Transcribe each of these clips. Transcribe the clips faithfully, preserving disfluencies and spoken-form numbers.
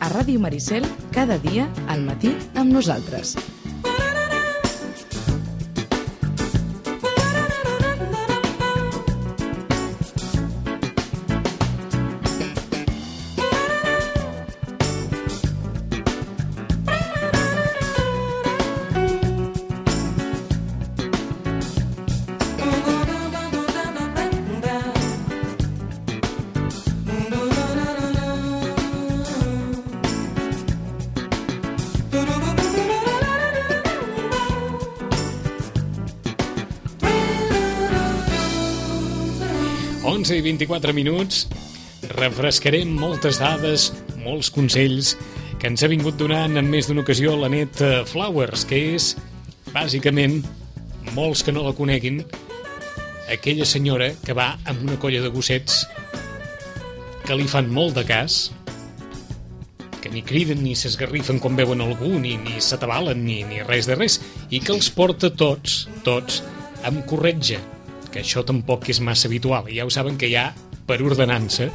a Ràdio Maricel cada dia al matí amb nosaltres. onze i vint-i-quatre minuts, refrescarem moltes dades, molts consells que ens ha vingut donant en més d'una ocasió l'Anet Flowers, que és, bàsicament, molts que no la coneguin, aquella senyora que va amb una colla de gossets que li fan molt de cas, que ni criden ni s'esgarrifen quan veuen algú, ni, ni s'atabalen, ni, ni res de res, i que els porta tots, tots, amb corretja, que això tampoc és massa habitual. Ja ho saben que hi ha per ordenança,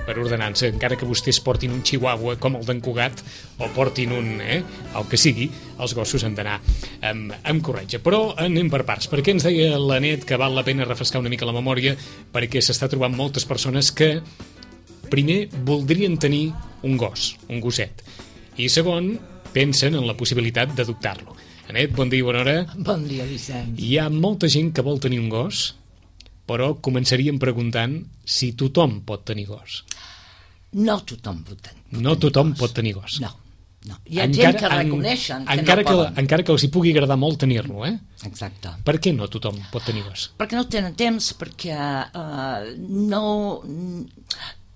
per ordenança, encara que vostès portin un chihuahua com el d'en Cugat o portin un, eh, el que sigui, els gossos han d'anar amb, amb corretja. Però anem per parts, perquè ens deia l'Anet que val la pena refrescar una mica la memòria, perquè s'està trobant moltes persones que primer voldrien tenir un gos, un gosset, i segon, pensen en la possibilitat d'adoptar-lo. Anet, bon dia i bona hora. Bon dia, Vicenç. Hi ha molta gent que vol tenir un gos, però començaríem preguntant si tothom pot tenir gos. No tothom pot tenir, pot no tenir tothom gos. pot tenir gos. No, no. Hi ha encara, gent que reconeixen que encara no que, poden. encara que els hi pugui agradar molt tenir-lo, eh? Exacte. Per què no tothom pot tenir gos? Perquè no tenen temps, perquè uh, no,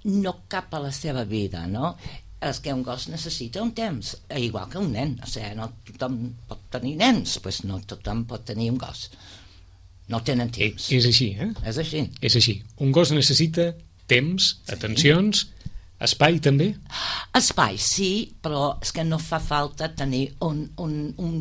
no cap a la seva vida, no? És que un gos necessita un temps, igual que un nen. O sigui, no tothom pot tenir nens, doncs no tothom pot tenir un gos. No tenen temps. És així, eh? És així. És així. Un gos necessita temps, atencions, espai també? Espai, sí, però és que no fa falta tenir un, un, un,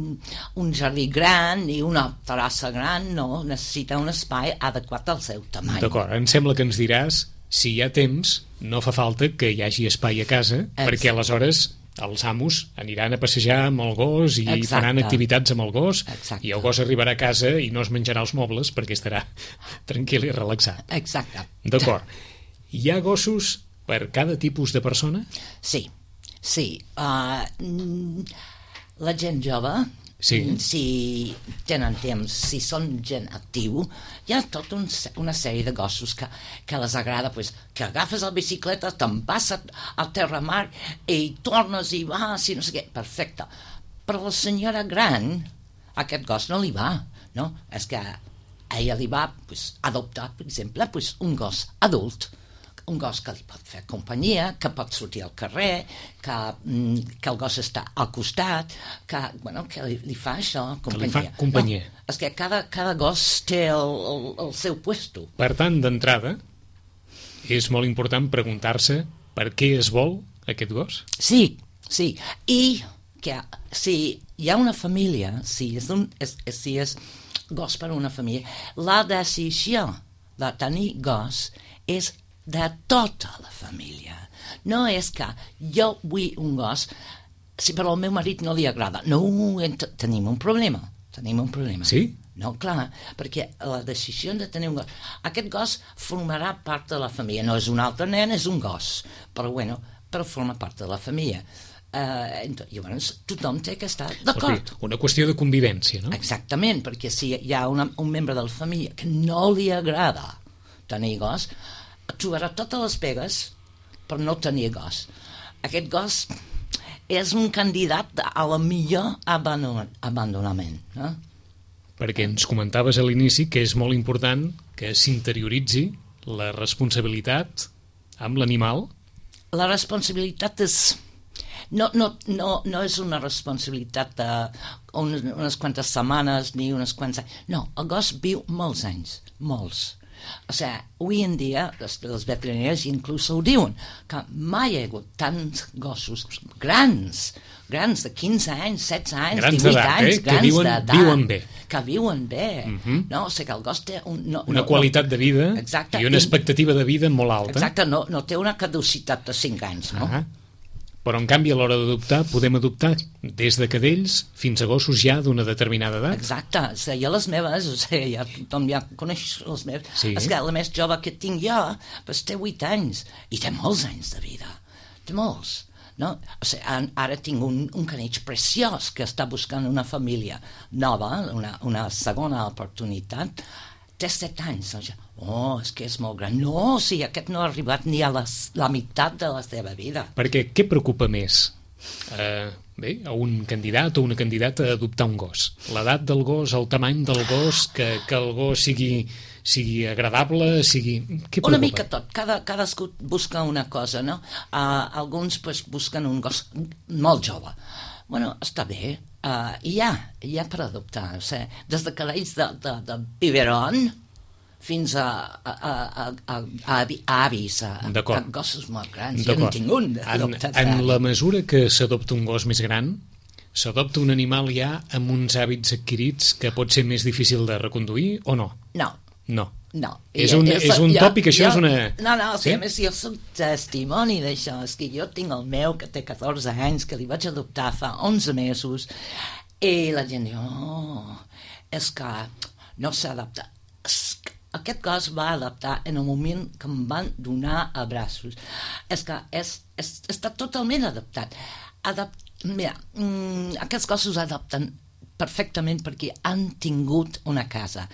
un jardí gran ni una terrassa gran, no, necessita un espai adequat al seu tamany. D'acord, em sembla que ens diràs si hi ha temps, no fa falta que hi hagi espai a casa, exacte, perquè aleshores els amos aniran a passejar amb el gos i exacte, faran activitats amb el gos, exacte, i el gos arribarà a casa i no es menjarà els mobles perquè estarà tranquil i relaxat. Exacte. D'acord. Hi ha gossos per cada tipus de persona? Sí, sí. Uh, la gent jove, sí, si tenen temps, si són gent actiu, hi ha tota un, una sèrie de gossos que, que les agrada, pues, que agafes la bicicleta, te'n vas a, a terra mar i tornes i vas i no sé què, perfecte. Però la senyora gran, aquest gos no li va, no? És que a ella li va, pues, adoptar, per exemple, pues, un gos adult, un gos que li pot fer companyia, que pot sortir al carrer, que, que el gos està al costat, que, bueno, que li, li fa això, companyia. Que li fa companyia. No, és que cada, cada gos té el, el, el seu puesto. Per tant, d'entrada, és molt important preguntar-se per què es vol aquest gos? Sí, sí. I que si hi ha una família, si és, un, és, si és gos per una família, la decisió de tenir gos és de tota la família. No és que jo vull un gos, si però al meu marit no li agrada. No, tenim un problema. Tenim un problema. Sí? No, clar, perquè la decisió de tenir un gos... Aquest gos formarà part de la família. No és un altre nen, és un gos. Però, bueno, però forma part de la família. Uh, llavors, tothom té que estar d'acord. Una qüestió de convivència, no? Exactament, perquè si hi ha una, un membre de la família que no li agrada tenir gos, trobarà totes les pegues per no tenir gos. Aquest gos és un candidat a la millor abandonament, no? Perquè ens comentaves a l'inici que és molt important que s'interioritzi la responsabilitat amb l'animal. La responsabilitat és... No, no, no, no és una responsabilitat de unes, unes quantes setmanes ni unes quantes... No, el gos viu molts anys, molts. O sigui, avui en dia, les, les veterinàries inclús ho diuen, que mai hi ha hagut tants gossos grans, grans de quinze anys, setze anys, grans divuit anys, eh? grans que viuen, d'edat. Viuen bé. Que viuen bé. Uh-huh. No? O sigui, que el gos té un, no, una no, qualitat no, de vida exacte, i una expectativa de vida molt alta. Exacte, no, no té una caducitat de cinc anys, no? Uh-huh. Però, en canvi, a l'hora d'adoptar, podem adoptar des de cadells fins a gossos ja d'una determinada edat. Exacte, o sigui, jo les meves, o sigui, ja tothom ja coneix les meves, Sí. és que la més jove que tinc jo, doncs té vuit anys, i té molts anys de vida, té molts. No? O sigui, ara tinc un, un caneig preciós que està buscant una família nova, una, una segona oportunitat, té set anys. Oh, és que és molt gran. No, o sigui, aquest no ha arribat ni a les, la meitat de la seva vida. Perquè què preocupa més eh, bé, a un candidat o una candidata a adoptar un gos? L'edat del gos, el tamany del gos, que, que el gos sigui, sigui agradable, sigui... Què preocupa? Una mica tot, cada, cadascú busca una cosa, no? Uh, alguns pues, busquen un gos molt jove. Bueno, està bé, uh, hi ha, hi ha per adoptar, o sigui, des de cadells de, de, de biberon fins a, a, a, a, a, a avis, a, a gossos molt grans. Jo no tinc un adoptat. En, en la mesura que s'adopta un gos més gran, s'adopta un animal ja amb uns hàbits adquirits que pot ser més difícil de reconduir o no? No. No. No. És un, és un jo, tòpic, això jo, és una... No, no, o sigui, sí? a més, jo soc testimoni d'això, és que jo tinc el meu, que té catorze anys, que li vaig adoptar fa onze mesos, i la gent diu, oh, és que no s'adapta. Aquest gos va adaptar en el moment que em van donar a braços. És que és, és, està totalment adaptat. Adapt... Mira, mm, aquests gossos adapten perfectament perquè han tingut una casa,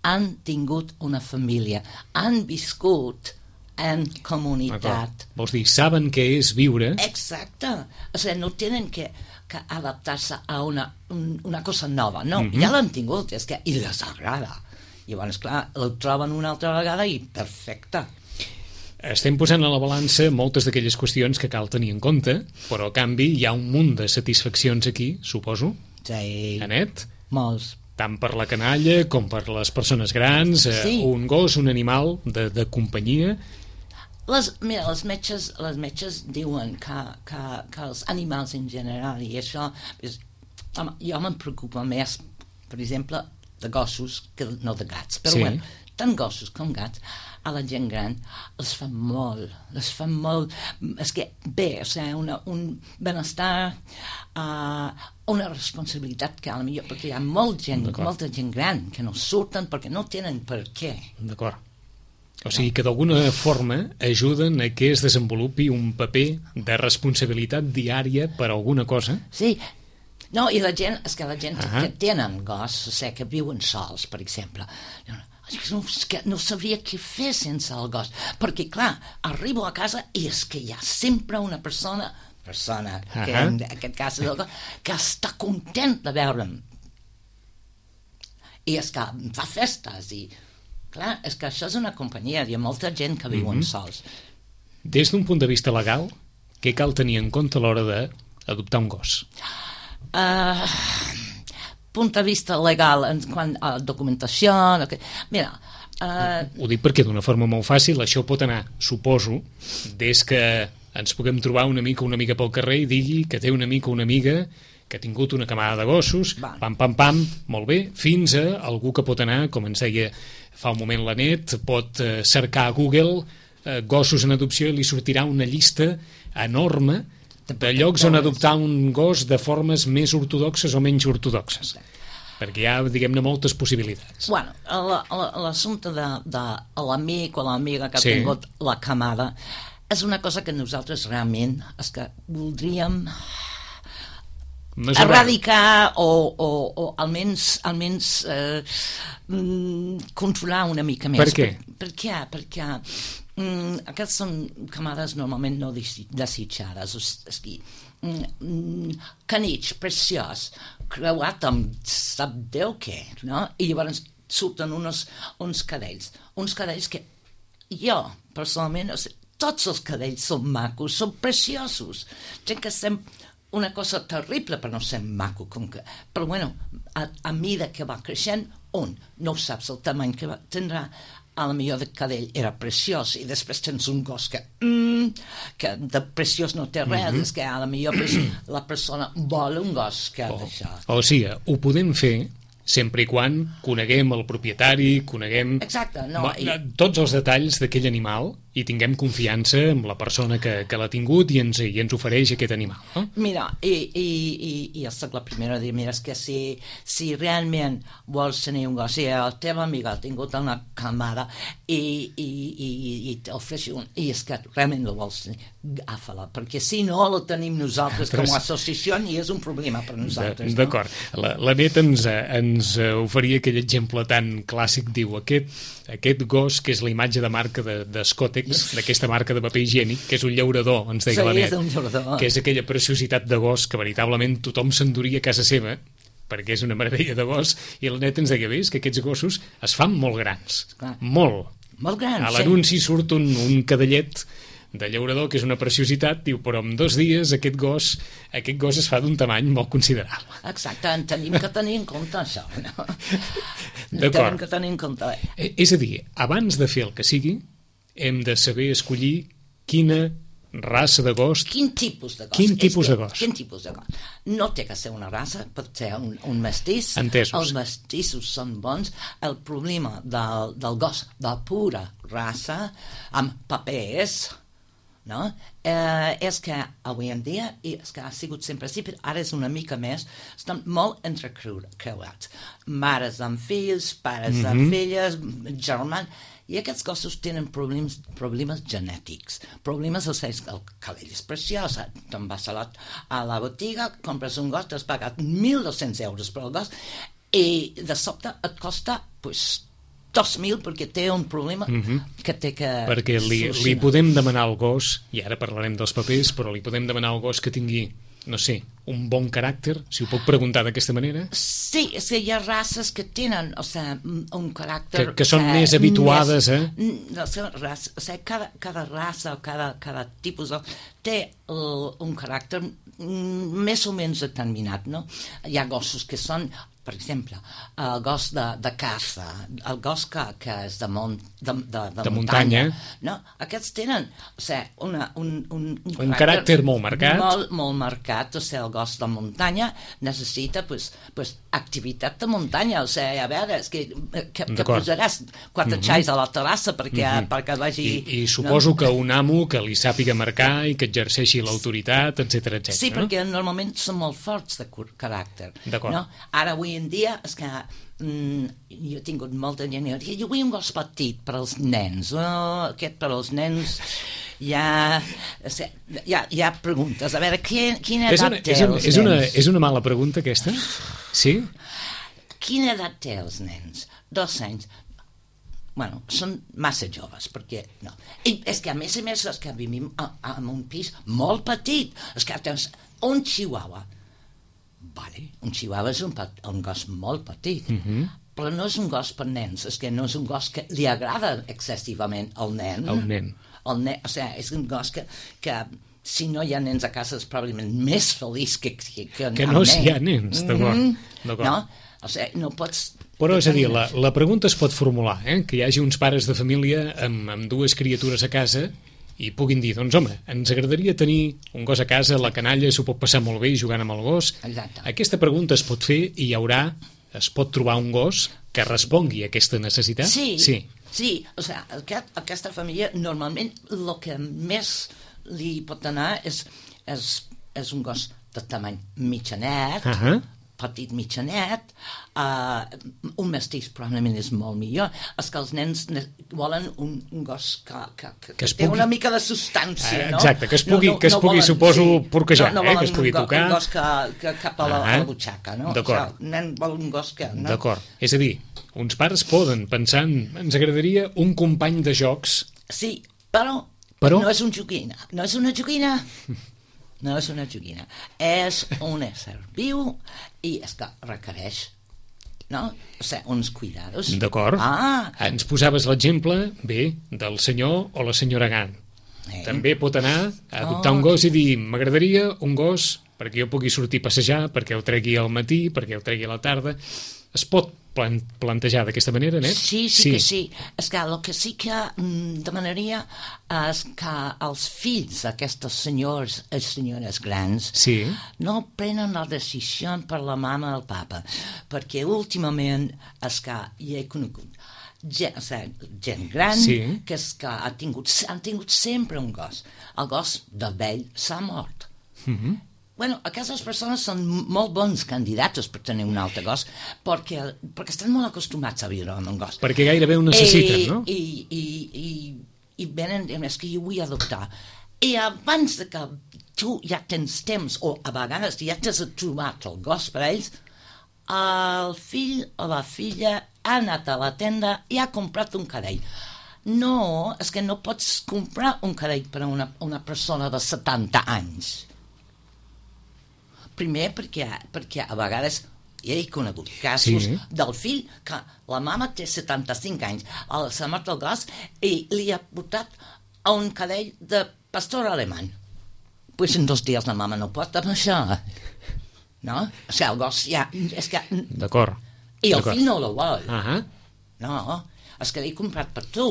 han tingut una família, han viscut en comunitat. Vols dir, saben què és viure? Exacte. O sigui, no tenen que, que adaptar-se a una, un, una cosa nova, no, Mm-hmm. ja l'han tingut, és que i les agrada. Llavors, clar, el troben una altra vegada i perfecte. Estem posant a la balança moltes d'aquelles qüestions que cal tenir en compte, però a canvi hi ha un munt de satisfaccions aquí, suposo. Sí. Anet? Molts. Tant per la canalla com per les persones grans, eh, Sí. un gos, un animal de, de companyia. Les, mira, les metges, les metges diuen que, que, que els animals en general, i això, és, home, jo me'n preocupa més, per exemple, de gossos que no de gats, però Sí. bueno, tant gossos com gats, a la gent gran els fa molt, els fa molt, és que bé, o sigui, una, un benestar, uh, una responsabilitat que a la millor, perquè hi ha molt gent, molta gent gran que no surten perquè no tenen per què. D'acord. O sigui que d'alguna forma ajuden a que es desenvolupi un paper de responsabilitat diària per alguna cosa. Sí, no, i la gent, és que la gent Ah. que tenen gos, o sigui, que viuen sols, per exemple, no, és que no sabria què fer sense el gos, perquè clar, arribo a casa i és que hi ha sempre una persona, persona, que Ah. en aquest cas és el gos, que està content de veure'm. I és que em fa festes i, clar, és que això és una companyia, hi ha molta gent que viuen Mm-hmm. sols. Des d'un punt de vista legal, què cal tenir en compte a l'hora d'adoptar un gos? Uh, punt de vista legal en quant a documentació, okay. Mira, uh, Ho dic perquè d'una forma molt fàcil això pot anar, suposo, des que ens puguem trobar un amic o una amiga pel carrer i digui que té un amic o una amiga que ha tingut una camada de gossos, Val. pam, pam, pam, molt bé, fins a algú que pot anar, com ens deia fa un moment la Net, pot eh, cercar a Google eh, gossos en adopció i li sortirà una llista enorme de llocs on adoptar un gos de formes més ortodoxes o menys ortodoxes. Perquè hi ha, diguem-ne, moltes possibilitats. bueno, la- la- l'assumpte de, de l'amic o l'amiga que ha Sí. tingut la camada és una cosa que nosaltres realment és que voldríem Mesurar. erradicar o, o, o almenys, almenys eh, mm, controlar una mica més. Per què? Per, per què? Perquè mm, aquestes són camades normalment no desi- desitjades. O sigui, mm, canitx, preciós, creuat amb sap Déu què, no? I llavors surten uns, uns cadells. Uns cadells que jo, personalment, o sigui, tots els cadells són macos, són preciosos. Gent que estem una cosa terrible per no ser maco, com que, però bueno, a, a mida que va creixent, un, no saps el tamany que va, tindrà, a la millor de cadell era preciós i després tens un gos que, mm, que de preciós no té res, mm-hmm. és que a la millor pues, la persona vol un gos que ha O, d'això. o sigui, ho podem fer sempre i quan coneguem el propietari, coneguem Exacte, no, ma- i- tots els detalls d'aquell animal i tinguem confiança en la persona que, que l'ha tingut i ens, i ens ofereix aquest animal, no? Mira, i, i, i, i jo soc la primera a dir, mira, és que si, si realment vols tenir un gos, si el teu amic ha tingut una camada i, i, i, i t'ofereix un, i és que realment el vols tenir, agafa-la, perquè si no la tenim nosaltres com a associació i és un problema per nosaltres. D'acord. No? La, la Net ens, ens oferia aquell exemple tan clàssic, diu, aquest, aquest gos que és la imatge de marca de, de Scottex, d'aquesta marca de paper higiènic, que és un llaurador, ens deia sí, la Net, és un llaurador. Que és aquella preciositat de gos que veritablement tothom s'enduria a casa seva, perquè és una meravella de gos, i la Net ens deia, bé, que aquests gossos es fan molt grans, Clar. molt. Molt grans, a l'anunci sí. surt un, un cadellet de llaurador, que és una preciositat, diu, però en dos dies aquest gos, aquest gos es fa d'un tamany molt considerable. Exacte, en tenim que tenir en compte això, no? D'acord. Tenim que tenir en compte. Eh, és a dir, abans de fer el que sigui, hem de saber escollir quina raça de gos... Quin tipus de gos. Quin tipus que, de gos. Quin tipus de gos. No té que ser una raça, pot ser un, un mestís. Entesos. Els mestissos són bons. El problema del, del gos de pura raça, amb papers... No? Eh, és que avui en dia, i és que ha sigut sempre així, però ara és una mica més, estan molt entrecreuats. Mares amb fills, pares mm-hmm. amb filles, germans, i aquests gossos tenen problemes, problemes genètics. Problemes, o sigui, el cabell és preciós, te'n vas a la, a la botiga, compres un gos, t'has pagat mil dos-cents euros per al gos, i de sobte et costa, pues, dos mil perquè té un problema mm-hmm. que té que... Perquè li, li podem demanar al gos, i ara parlarem dels papers, però li podem demanar al gos que tingui, no sé, un bon caràcter, si ho puc preguntar d'aquesta manera? Sí, és que hi ha races que tenen, o sigui, un caràcter... Que, que són o sigui, més habituades, més, eh? No, raça, o sigui, cada, cada raça o cada, cada tipus de, té el, un caràcter més o menys determinat, no? Hi ha gossos que són... Per exemple, el gos de, de caça, el gos que, que és de, mont, de, de, de, de muntanya, muntanya, no? Aquests tenen o sigui, una, un, un, un, un caràcter molt marcat. Molt, molt marcat, o sigui, el gos de muntanya necessita pues, pues, activitat de muntanya, o sigui, a veure, és que, que, que posaràs quatre mm-hmm. xais a la terrassa perquè, mm-hmm. perquè vagi... I, i suposo no? que un amo que li sàpiga marcar i que exerceixi l'autoritat, etcètera, etcètera. Sí, no? perquè normalment són molt forts de caràcter. D'acord. No? Ara, avui en dia, és que mm, jo he tingut molta gent i jo vull un gos petit per als nens. Oh, aquest per als nens ja, ja, ja preguntes. A veure, quina, quina edat una, té és, un, els és nens? Una, és una mala pregunta, aquesta? Sí? Quina edat té els nens? Dos anys. Bueno, són massa joves, perquè no. I és que a més a més és que vivim en un pis molt petit. És que tens un chihuahua. Vale, un chihuahua és un, un gos molt petit, mm-hmm. però no és un gos per nens, és que no és un gos que li agrada excessivament al nen. El nen. El nen, o sigui, és un gos que, que si no hi ha nens a casa és probablement més feliç que, que, que, que no si hi ha nens, d'acord. Mm-hmm. No? O sigui, no pots... Però és a dir, la, la pregunta es pot formular, eh? Que hi hagi uns pares de família amb, amb dues criatures a casa i puguin dir, doncs home, ens agradaria tenir un gos a casa, la canalla s'ho pot passar molt bé jugant amb el gos. Exacte. Aquesta pregunta es pot fer i hi haurà, es pot trobar un gos que respongui a aquesta necessitat? Sí, sí. sí. O sigui, aquest, aquesta família normalment el que més li pot anar és, és, és un gos de tamany mitjanet, uh-huh. petit mitjanet, uh, un mestís probablement és molt millor. És que els nens volen un, un gos que, que, que, que té pugui... una mica de substància, no? Exacte, que es pugui, no, no, que es no pugui volen, suposo, sí, porquejar, no, no eh? Que es pugui un, tocar. Un gos que, que cap a la, uh-huh. a la butxaca, no? D'acord. O sigui, el nen vol un gos que... No? D'acord. És a dir, uns pares poden pensar en, ens agradaria un company de jocs. Sí, però, però... no és un joguina. No és una joguina... No és una joguina, és un ésser viu i és que requereix, no? O sigui, uns cuidados. D'acord. Ah. Ens posaves l'exemple, bé, del senyor o la senyora Gant. Eh. També pot anar a adoptar oh. un gos i dir, m'agradaria un gos perquè jo pugui sortir a passejar, perquè el tregui al matí, perquè el tregui a la tarda. Es pot plan plantejar d'aquesta manera, Net? Sí, sí, sí que sí. És que el que sí que mm, demanaria és que els fills d'aquestes senyors i senyores grans sí. no prenen la decisió per la mama o el papa, perquè últimament és que hi he conegut gent, o sigui, gent gran Sí. que, és, que ha tingut, han tingut sempre un gos. El gos de vell s'ha mort. Mhm. Bueno, aquestes persones són molt bons candidats per tenir un altre gos perquè, perquè estan molt acostumats a viure amb un gos. Perquè gairebé ho necessiten, I, no? I, i, i, i venen, és que jo vull adoptar. I abans de que tu ja tens temps, o a vegades ja t'has trobat el gos per ells, el fill o la filla ha anat a la tenda i ha comprat un cadell. No, és que no pots comprar un cadell per a una, una persona de setanta anys. Primer perquè, perquè a vegades ja he conegut casos Sí. del fill que la mama té setanta-cinc anys, s'ha mort el gos i li ha portat a un cadell de pastor alemany. Pues en dos dies la mama no pot amb això. No? O sigui, el gos ja... És que... D'acord. I el D'acord. fill no el vol. Ahà. No, és que l'he comprat per tu.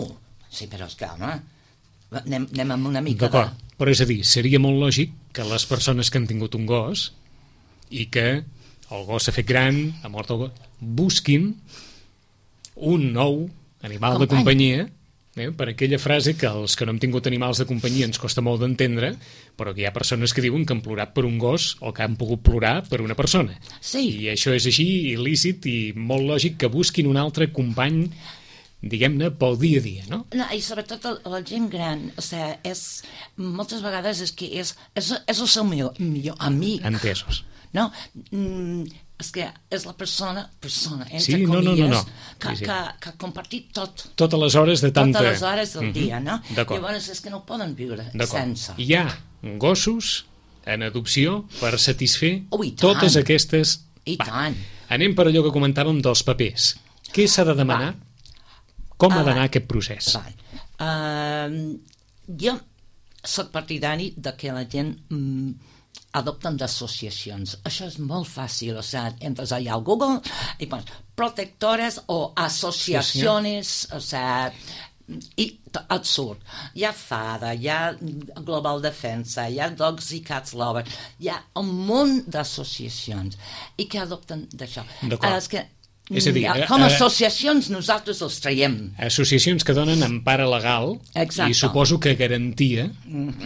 Sí, però és que, home, anem, anem amb una mica D'acord. Però és a dir, seria molt lògic que les persones que han tingut un gos i que el gos s'ha fet gran, ha mort el gos, busquin un nou animal de Company. companyia, eh? Per aquella frase que els que no hem tingut animals de companyia ens costa molt d'entendre, però que hi ha persones que diuen que han plorat per un gos o que han pogut plorar per una persona. Sí. I això és així, il·lícit i molt lògic que busquin un altre company, diguem-ne, pel dia a dia, no? No, i sobretot el, la gent gran, o sigui, és, moltes vegades és que és, és, és el seu millor, millor amic. Entesos. No? Mm, és que és la persona, persona, entre Sí, no, no, comilles, no, no. Que, Sí, sí. que, que ha compartit tot. Totes les hores de tanta... Totes les hores del Mhm. dia, no? D'acord. Llavors és que no poden viure D'acord. sense. Hi ha gossos en adopció per satisfer Oh, i tant. totes aquestes... I tant. Anem per allò que comentàvem dels papers. Què s'ha de demanar? Com ha d'anar aquest procés? Val. Uh, jo soc partidari de que la gent mm, adopten d'associacions. Això és molt fàcil, o sigui, entres allà al Google i pons protectores o associacions, o sigui, i t- et surt. Hi ha FADA, hi ha Global Defensa, hi ha Dogs i Cats Lover, hi ha un munt d'associacions i que adopten d'això. D'acord. Ara, és que És a dir, mm, eh, com a eh, associacions nosaltres els traiem. Associacions que donen empara legal Exacte. i suposo que garantia,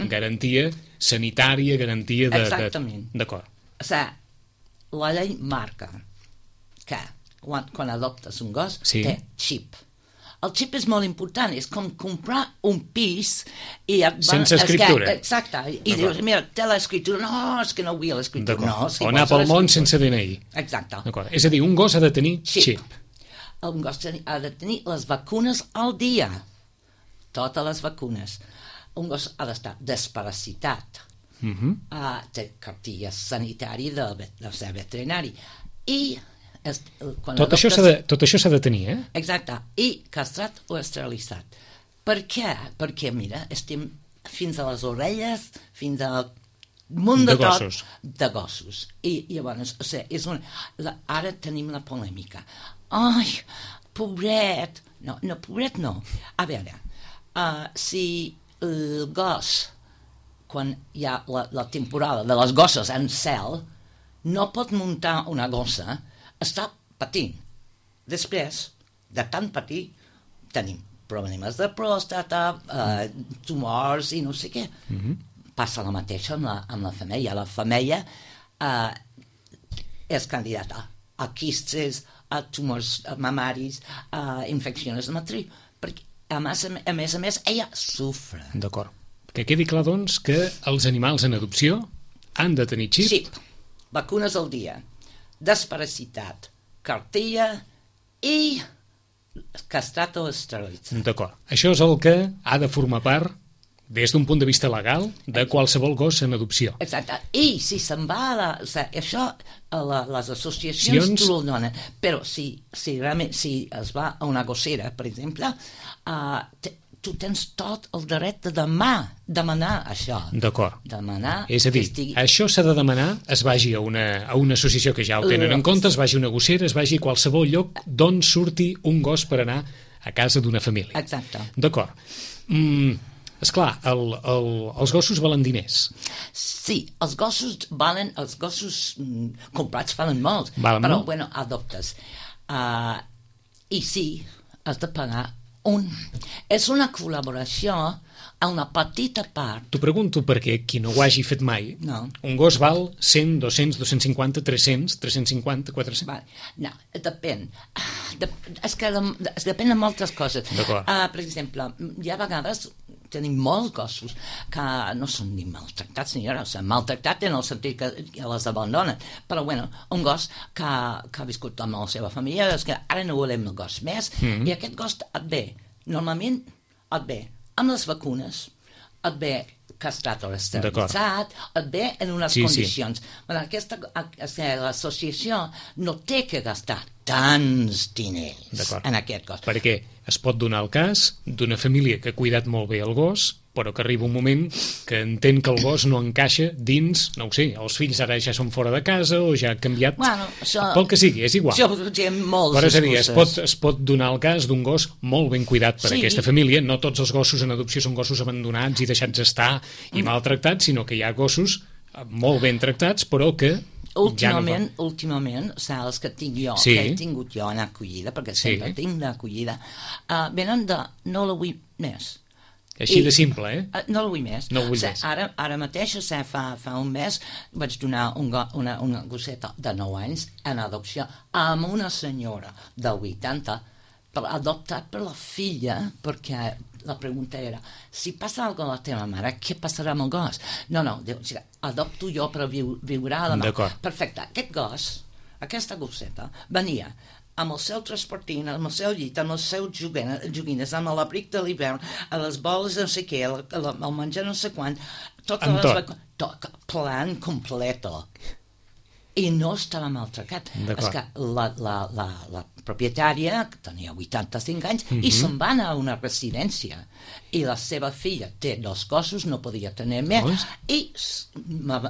garantia sanitària, garantia de... de- Exactament. D'acord. O sigui, la llei marca que quan, quan adoptes un gos Sí. té xip. El xip és molt important, és com comprar un pis i et van, Sense és escriptura. Que, exacte, i dius, mira, té l'escriptura, no, és que no vull l'escriptura. D'acord. No, si o anar vols pel món l'escriptura. sense D N I. Exacte. D'acord. És a dir, un gos ha de tenir Xip. xip. Un gos teni- ha de tenir les vacunes al dia. Totes les vacunes. Un gos ha d'estar desparasitat. Mhm. Uh, té cartilla sanitària del, vet- del ser veterinari. I es, quan Tot això adoptes- s'ha de, tot això s'ha de tenir, eh? Exacte, i castrat o esterilitzat. Per què? Perquè, mira, estem fins a les orelles, fins al munt de, De gossos. tot de gossos. I llavors, o sigui, és un... la, ara tenim la polèmica. Ai, pobret! No, no, pobret no. A veure, uh, si el gos, quan hi ha la, la temporada de les gosses en cel, no pot muntar una gossa, està patint. Després, de tant patir, tenim problemes de pròstata, eh, tumors i no sé què. Mm-hmm. Passa la mateixa amb la, amb la femella. La femella eh, és candidata a quistes, a tumors mamaris, a infeccions de matriu, perquè a més a, a més, a més ella sofre. D'acord. Que quedi clar, doncs, que els animals en adopció han de tenir xip. Xip, vacunes al dia, desparasitat, cartilla i castrat o esterilitzat. D'acord. Això és el que ha de formar part, des d'un punt de vista legal, de qualsevol gos en adopció. Exacte. I si se'n va a la... O sigui, això a la, les associacions Sions... t'ho donen. Però si, si realment si es va a una gossera, per exemple, uh, te, tu tens tot el dret de demà, demanar això. D'acord. Demanar És a dir, que estigui... això s'ha de demanar, es vagi a una, a una associació que ja ho tenen en compte, es vagi a una gossera, es vagi a qualsevol lloc d'on surti un gos per anar a casa d'una família. Exacte. D'acord. Mm, esclar, el, el, els gossos valen diners. Sí, els gossos valen, els gossos mm, comprats valen molt, Valen però, molt? bueno, adoptes. Uh, I sí, has de pagar un... És una col·laboració a una petita part. T'ho pregunto perquè qui no ho hagi fet mai, no. Un gos val cent, dos-cents, dos-cents cinquanta, tres-cents, tres-cents cinquanta, quatre-cents... Vale. No, depèn. De, és que de, es depèn de moltes coses. D'acord. Uh, per exemple, hi ha vegades tenim molts gossos que no són ni maltractats ni res, maltractat en el sentit que les abandonen, però bueno, un gos que, que ha viscut amb la seva família, és que ara no volem el gos més, mm. i aquest gos et ve, normalment et ve amb les vacunes, et ve castrat o esterilitzat, et ve en unes sí, condicions. Sí. Bueno, aquesta, l'associació no té que gastar tants diners en aquest gos. Perquè es pot donar el cas d'una família que ha cuidat molt bé el gos, però que arriba un moment que entén que el gos no encaixa dins, no ho sé, els fills ara ja són fora de casa o ja ha canviat, bueno, això, pel que sigui, és igual. Això té molts però és a dir, es pot, es pot donar el cas d'un gos molt ben cuidat per sí. aquesta família. No tots els gossos en adopció són gossos abandonats i deixats estar i mm. maltractats, sinó que hi ha gossos molt ben tractats, però que últimament, ja no últimament, saps que tinc jo, sí. que he tingut jo en acollida, perquè sempre sí. tinc d'acollida, uh, venen de no la vull més. Així I, de simple, eh? Uh, no la vull més. No vull o sigui, més. Ara, ara mateix, o sigui, fa, fa un mes, vaig donar un go, una, una gosseta de nou anys en adopció amb una senyora de vuitanta, per, adoptat per la filla, perquè la pregunta era, si passa alguna cosa a la teva mare, què passarà amb el gos? No, no, diu, o sigui, adopto jo però viu, viurà a la mà. Perfecte, aquest gos, aquesta gosseta, venia amb el seu transportint, amb el seu llit, amb els seus joguines, amb l'abric de l'hivern, a les boles no sé què, el, el menjar no sé quan, totes amb les tot. tot, plan completo. I no estava maltractat. És que la, la, la, la propietària, que tenia vuitanta-cinc anys, mm-hmm. i se'n va anar a una residència. I la seva filla té dos gossos, no podia tenir més, oh, i m'ha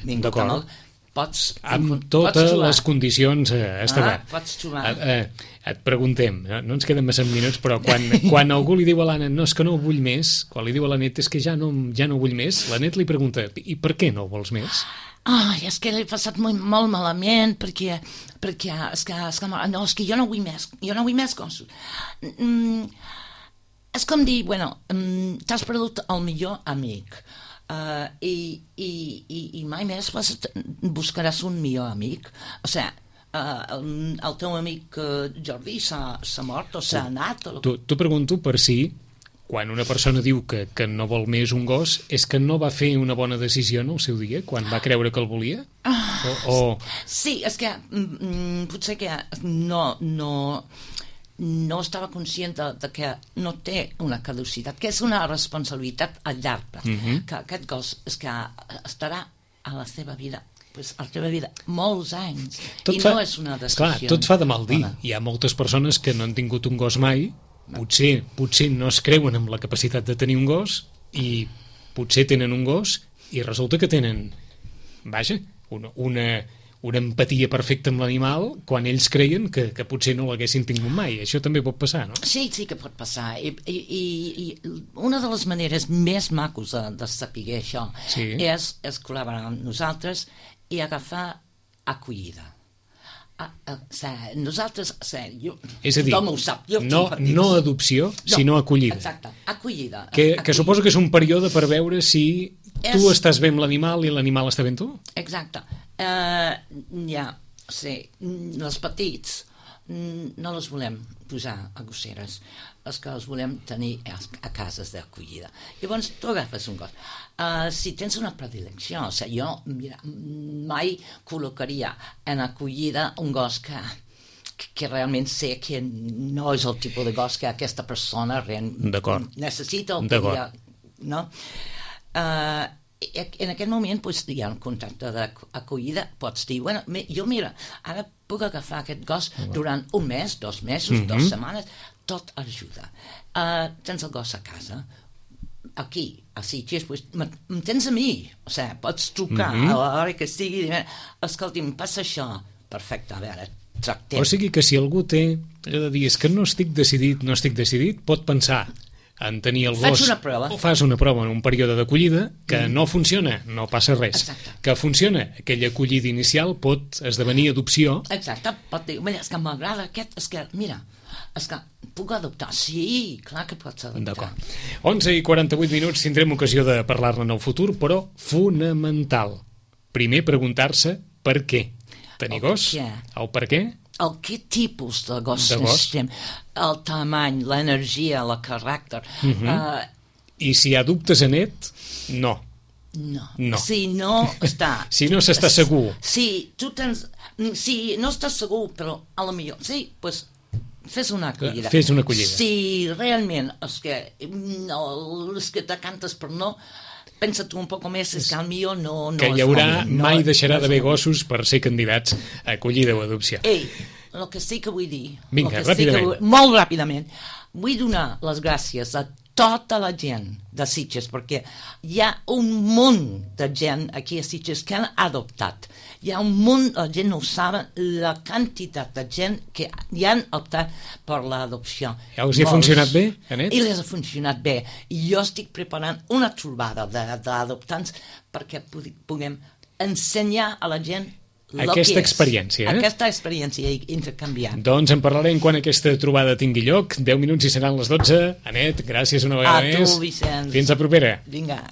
vingut amb el... Pots, amb totes pots les condicions eh, establert. Ah, pots trobar. Eh, eh, et preguntem, no, no ens queden massa minuts, però quan, quan algú li diu a l'Anna no, és que no ho vull més, quan li diu a la Net és que ja no, ja no vull més, la Net li pregunta, i per què no ho vols més? Ai, és que l'he passat molt, molt malament, perquè, perquè és que, és que, no, és que jo no vull més, jo no vull més gossos. Mm, és com dir, bueno, mm, t'has perdut el millor amic, Uh, i, i, i, i mai més vas, buscaràs un millor amic. O sigui, uh, el, el teu amic uh, Jordi s'ha mort o s'ha anat o... T'ho pregunto per si quan una persona diu que, que no vol més un gos és que no va fer una bona decisió en el seu dia, quan va creure que el volia? O, o... Sí, és que mm, potser que no... no no estava conscient de, de que no té una caducitat, que és una responsabilitat a llarg, mm-hmm. que aquest gos és que estarà a la seva vida, pues, a la seva vida molts anys, tot i fa, no és una decisió. Clar, tot fa de mal dir. Hi ha moltes persones que no han tingut un gos mai, potser, potser no es creuen amb la capacitat de tenir un gos i potser tenen un gos i resulta que tenen, vaja, una... una una empatia perfecta amb l'animal quan ells creien que, que potser no l'haguessin tingut mai. Això també pot passar, no? Sí, sí que pot passar. I, i, i una de les maneres més macos de, de saber això sí. és, és col·laborar amb nosaltres i agafar acollida. A, a, a, nosaltres, a, jo, és a dir, tothom ho sap, jo no, no adopció, no, sinó acollida. Exacte, acollida. Que, acollida. que suposo que és un període per veure si és... tu estàs bé amb l'animal i l'animal està bé amb tu? Exacte. Uh, ja, sí, els petits no les volem posar a gosseres, els que els volem tenir a, a cases d'acollida. Llavors tu agafes un gos. Uh, si tens una predilecció, o sigui, jo mira, mai col·locaria en acollida un gos que, que, que realment sé que no és el tipus de gos que aquesta persona necessita o podria, no? Uh, en aquest moment pues, hi ha un contracte d'acollida, pots dir, bueno, jo mira, ara puc agafar aquest gos durant un mes, dos mesos, mm-hmm. dues setmanes, tot ajuda. Uh, tens el gos a casa, aquí, a Sitges, pues, em tens a mi, o sigui, pots trucar mm-hmm. a l'hora que estigui, escolti'm, passa això, perfecte, a veure, tractem. O sigui que si algú té, allò de dir, és que no estic decidit, no estic decidit, pot pensar en tenir el gos, una prova. o fas una prova en un període d'acollida que mm. no funciona, no passa res. Exacte. Que funciona, aquella acollida inicial pot esdevenir adopció. Exacte, pot dir, mira, és que m'agrada aquest, és que, mira, És que puc adoptar? Sí, clar que pots adoptar. D'acord. onze i quaranta-vuit minuts, tindrem ocasió de parlar-ne en el futur, però fonamental. Primer preguntar-se per què. Tenir El gos? què. El per què? El que tipus de gos De gos. necessitem, el tamany, l'energia, el caràcter. Uh -huh. uh, I si hi ha dubtes en net, no. no. No. Si no està... Si no s'està segur. Si tu tens... Si no estàs segur, però a lo millor... Sí, doncs pues, fes una acollida. Fes una acollida. Si realment és que, no, és que te cantes per no... Pensa tu un poc més, és que al millor no... no Que hi és haurà, moment, mai no, deixarà no és d'haver moment. gossos per ser candidats a acollida o adopció. Ei, el que sí que vull dir... Vinga, el que sí ràpidament. que vull, molt ràpidament. Vull donar les gràcies a tota la gent de Sitges, perquè hi ha un munt de gent aquí a Sitges que han adoptat. Hi ha un munt, la gent no ho saben, la quantitat de gent que hi han optat per l'adopció. Ja us hi ha funcionat bé, Anet? I les ha funcionat bé. I jo estic preparant una trobada de- d'adoptants perquè pu- puguem ensenyar a la gent lo Aquesta que és. experiència, eh? Aquesta experiència i intercanviar. Doncs en parlarem quan aquesta trobada tingui lloc. deu minuts i seran les dotze. Anet, gràcies una vegada A tu, més. Vicenç. Fins a propera. Vinga.